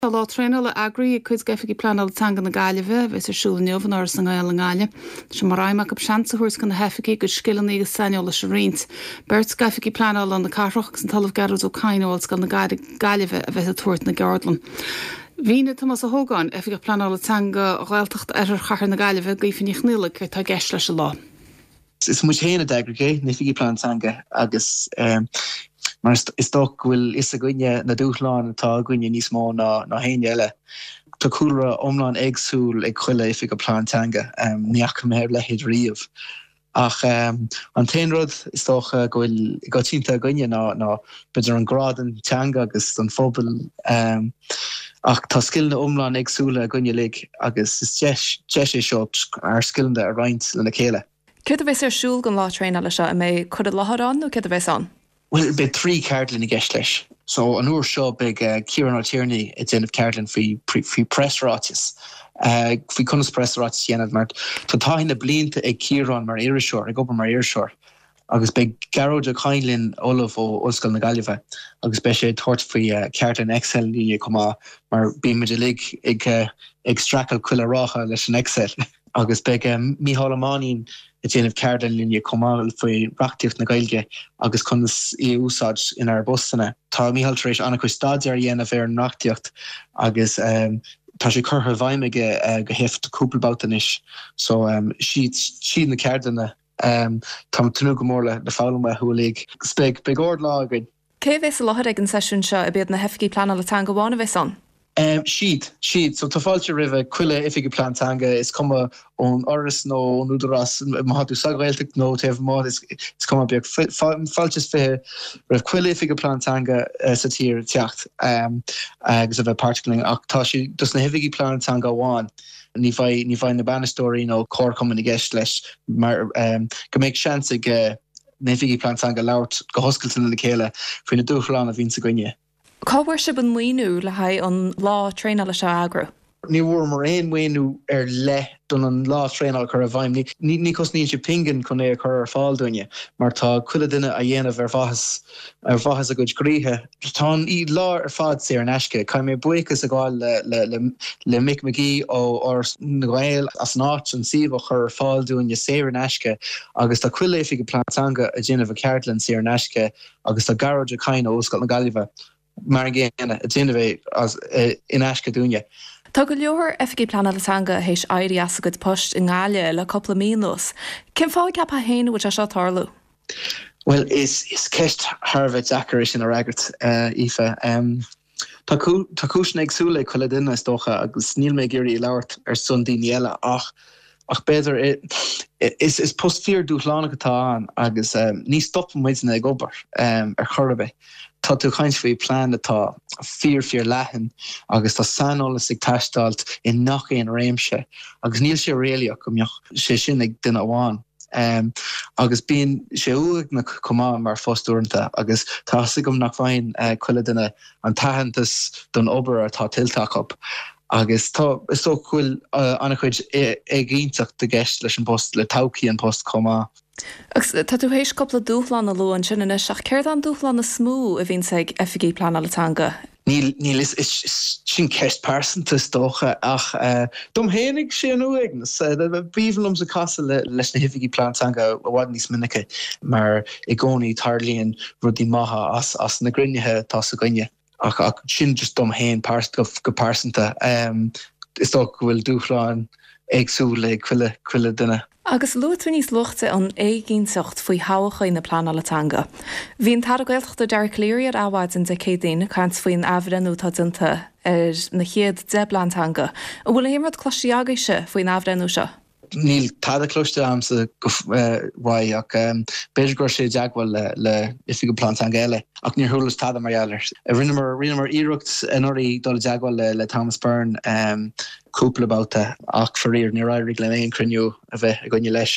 Tá lá traenála eagraithe ag cuid d'Oifigigh Pleanála Teanga na Gaillimhe, a bheas ar siúl inniu in Áras na nGael i nGaillimh. Tá sé mar aidhm acu seans a thabhairt do na hoifigigh a gcuid scileanna agus saineolais a roinnt. Beirt d'Oifigigh Pleanála na cathrach agus an tOllamh Gearóid Ó Cadhain ó Ollscoil na Gaillimhe a bheas ag tabhairt na gceardlann. Mhínigh Tomás Ó hÓgáin, Oifigeach Pleanála Teanga Ghaeltacht Oirthear Chathair na Gaillimhe, d'Aoife Ní Chonfhaola céard tá i gceist leis an lá. Is muid féin a d'eagraigh é, na Oifigigh Pleanála Teanga, agus mar is dócha go bhfuil fhios againne na dúshláin atá againne níos mó ná éinne eile. Tá cúlra iomlán éagsúil ag chuile Oifigeach Pleanála Teanga, ní fhaca mé a leithéid riamh. Ach an t-aon rud is dócha go bhfuil i gcoitianta againne ná b'fhéidir an grá don teanga agus don phobal. Ach tá scileanna iomlán éagsúla againn uilig agus is deis é seo ár scileanna a roinnt lena chéile. Céard a bheas ar siúl don lá traenála seo? An mbeidh cur i láthair ann nó céard a bheas ann? Bhuel, beidh 3 ceardlann i gceist leis. So, an uair seo beidh Ciarán Ó Tiarnaigh ag déanamh ceardlann faoi faoi preasráiteas, faoi conas preasráiteas a dhéanamh mar tá taithí na blianta ag Ciarán mar iriseoir, ag obair mar iriseoir. Agus beidh Gearóid Ó Cadhain linn, Ollamh ó Ollscoil na Gaillimhe, agus beidh sé ag tabhairt faoi cheardlann Excel linn chomh maith, mar bíonn muid uilig ag ag streachailt chuile ráithe leis an Excel. Agus beidh Mícheál Ó Mainnín ag déanamh ceardlann linne chomh maith faoi reachtaíocht na Gaeilge agus conas í a úsáid inár bpostanna. Tá Mícheál tar éis an-chuid staidéar a dhéanamh ar an reachtaíocht agus tá sé curtha i bhfeidhm aige go héifeachtach cúpla babhta anois. So, siad na ceardlanna. Táim ag tnúth go mór le foghlaim uathu uilig. Agus beidh, beidh ard-lá againn. Cé a bheas i láthair ag an seisiún seo? Ab iad na hoifigigh pleanála teanga amháin a bheas ann? Siad, siad. So tá fáilte roimhe chuile oifigeach plean teanga, is cuma ón Fhoras nó ón Údarás, má tá tú sa Ghaeltacht nó taobh amuigh, is cuma, beidh fáilte is 20 roimh chuile oifigeach plean teanga sa tír teacht agus a bheith páirteach linn. Ach tá sé dos na hoifigigh plean teanga amháin. Ní bheidh, ní bheidh na bainisteoirí nó comharchumainn i gceist leis mar go mbeidh seans ag na hoifigigh plean teanga labhairt go hoscailte lena chéile faoi na dúshláin a bhíonns againne. Cá bhfuair sibh an maoiniú le haghaidh an lá traenála seo a eagrú? Ní bhfuaireamar aon mhaoiniú ar leith don an lá traenála a chur i bhfeidhm. Ní chosnaíonn sé pingin chun é a chur ar fáil dúinne mar tá chuile duine á dhéanamh ar mhaitheas ar mhaitheas a gcuid gcroíthe. Tá an lá ar fad saor in aisce. Caithfidh mé buíochas a ghabháil le Mick McGee ó Áras na nGael as an áit, an suíomh a chur ar fáil dúinne saor in aisce agus tá chuile oifigeach plean teanga ag déanamh a cheardlann saor in aisce agus tá Gearóid Ó Cadhain ó Ollscoil na Gaillimhe mar an gcéanna ag déanamh é in aisce dúinne. Tá go leor oifigigh pleanála teanga théis éirí as a gcuid poist i nGaillimh le cúpla mí anuas. Cén fáth a gceapfá féin a bhfuil sé seo ag tarlú? Bhuel, is ceist thar a bheith deacair é sin a fhreagairt, Aoife. Tá cúiseanna éagsúla ag chuile duine, is dócha, agus níl mé ag iarraidh labhairt ar son daoine eile, ach ach b'fhéidir is post fíor-dúshlánach atá ann agus ní stopann muidne ag obair ar chor ar bith. Tá tú ag caint faoi plean atá fíor fíor leathan agus tá saineolas ag teastáilt i ngach aon réimse agus níl sé réalaíoch go mbeadh sé sin ag duine amháin. Agus bíonn sé uaigneach chomh maith mar phost uaireanta agus tá fhios agam nach bhfaigheann chuile duine an t-aitheantas don obair atá tuillte acu. Agus tá, is dócha go bhfuil an-chuid éiginnteacht i gceist leis an bpost, le todhchaí an post chomh maith. Agus tá tú théis cúpla dúshlán a lua ansin anois, ach céard é an dúshlán is mó a bhíonns ag oifigigh pleanála teanga? Níl, níl, is, is, sin ceist pearsanta is dócha, ach dom fhéinig, sé an uaigneas. B'aoibhinn liomsa casadh le, leis na hoifigigh plean teanga i bhfad níos minice mar i gcónaí tarlaíonn rudaí maithe as, as na gcruinnithe atá s'againne. Ach, ach sin just dom fhéin go, go pearsanta. Is dócha go bhfuil dúshláin éagsúla ag chuile, chuile duine. Agus luaigh tú níos luaithe an éiginnteacht faoi thodhchaí na pleanála teanga. Bhí an tAire Gaeltachta Dara Calleary ar Adhmhaidin Dé Céadaoin ag caint faoin athbhreithniú atá déanta ar na chéad 10 bplean teanga. An bhfuil aon rud cloiste agaibhse faoin athbhreithniú seo? Níl tada cloiste agamsa uaidh ach b'fhéidir go raibh sé i dteagmháil le Oifigigh Plean Teanga eile ach níor chualas tada mar gheall air. Rinneamar rinneamar iarracht anuraidh dul i dteagmháil le Thomas Byrne cúpla babhta ach faraor níor éirigh linn aon chruinniú a bheith againne leis.